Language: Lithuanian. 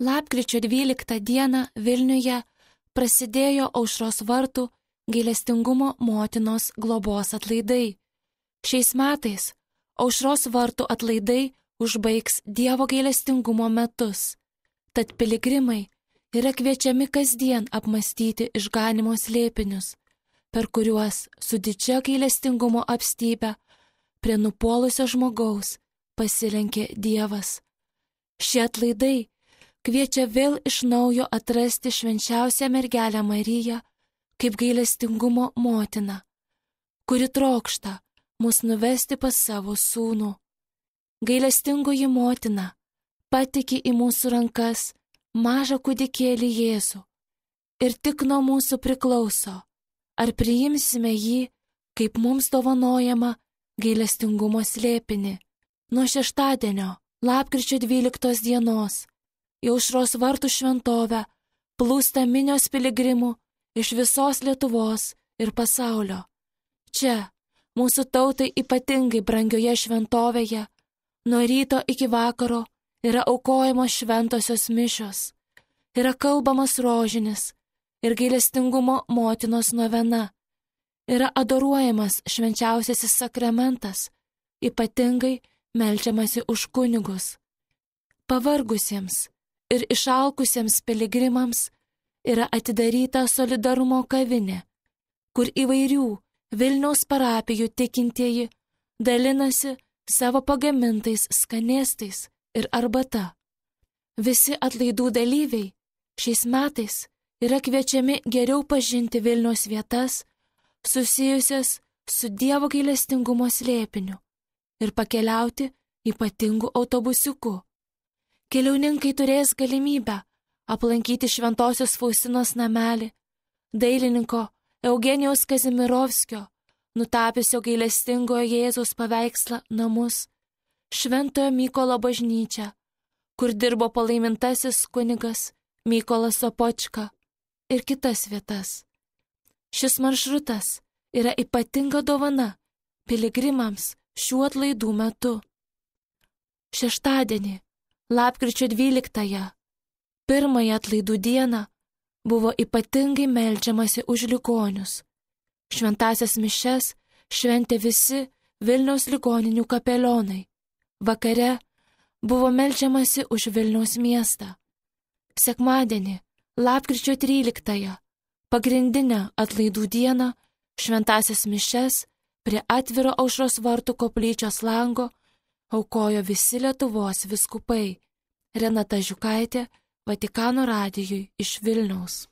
Lapkričio 12 dieną Vilniuje prasidėjo Aušros vartų gailestingumo motinos globos atlaidai. Šiais metais Aušros vartų atlaidai užbaigs Dievo gailestingumo metus. Tad piligrimai yra kviečiami kasdien apmastyti išganimo slėpinius, per kuriuos su didžia gailestingumo apstybė prie nupuolusio žmogaus pasilenkė Dievas. Šie atlaidai kviečia vėl iš naujo atrasti švenčiausią mergelę Mariją kaip gailestingumo motiną, kuri trokšta mus nuvesti pas savo sūnų. Gailestingoji motina patiki į mūsų rankas mažą kūdikėlį Jėzų ir tik nuo mūsų priklauso, ar priimsime jį kaip mums dovanojama gailestingumo slėpinį. Nuo šeštadienio, lapkričio 12 dienos, į Aušros vartų šventovę plūsta minios piligrimų iš visos Lietuvos ir pasaulio. Čia, mūsų tautai ypatingai brangioje šventovėje, nuo ryto iki vakaro yra aukojamos šventosios mišios, yra kalbamas rožinis ir gailestingumo motinos novena, yra adoruojamas švenčiausiasis sakramentas, ypatingai meldžiamasi už kunigus. Pavargusiems ir išalkusiems piligrimams yra atidaryta solidarumo kavinė, kur įvairių Vilniaus parapijų tikintieji dalinasi savo pagamintais skanėstais ir arbata. Visi atlaidų dalyviai šiais metais yra kviečiami geriau pažinti Vilniaus vietas susijusias su Dievo gailestingumo slėpiniu ir pakeliauti ypatingų autobusiuku. Keliauninkai turės galimybę aplankyti Šventosios Faustinos namelį, dailininko Eugenijaus Kazimirovskio, nutapiusio gailestingojo Jėzaus paveikslą namus, Šventojo Mykolo bažnyčią, kur dirbo palaimintasis kunigas Mykolas Sopočka ir kitas vietas. Šis maršrutas yra ypatinga dovana piligrimams šių atlaidų metu. Šeštadienį, lapkričio 12-ąją, pirmąją atlaidų dieną, buvo ypatingai meldžiamasi už ligonius. Šventąsias mišias šventė visi Vilniaus ligoninių kapelionai. Vakare buvo meldžiamasi už Vilniaus miestą. Sekmadienį, lapkričio 13-ąją, pagrindinę atlaidų dieną, šventąsias mišias prie atviro Aušros vartų koplyčios lango aukojo visi Lietuvos vyskupai. Renata Žiukaitė, Vatikano radijui iš Vilniaus.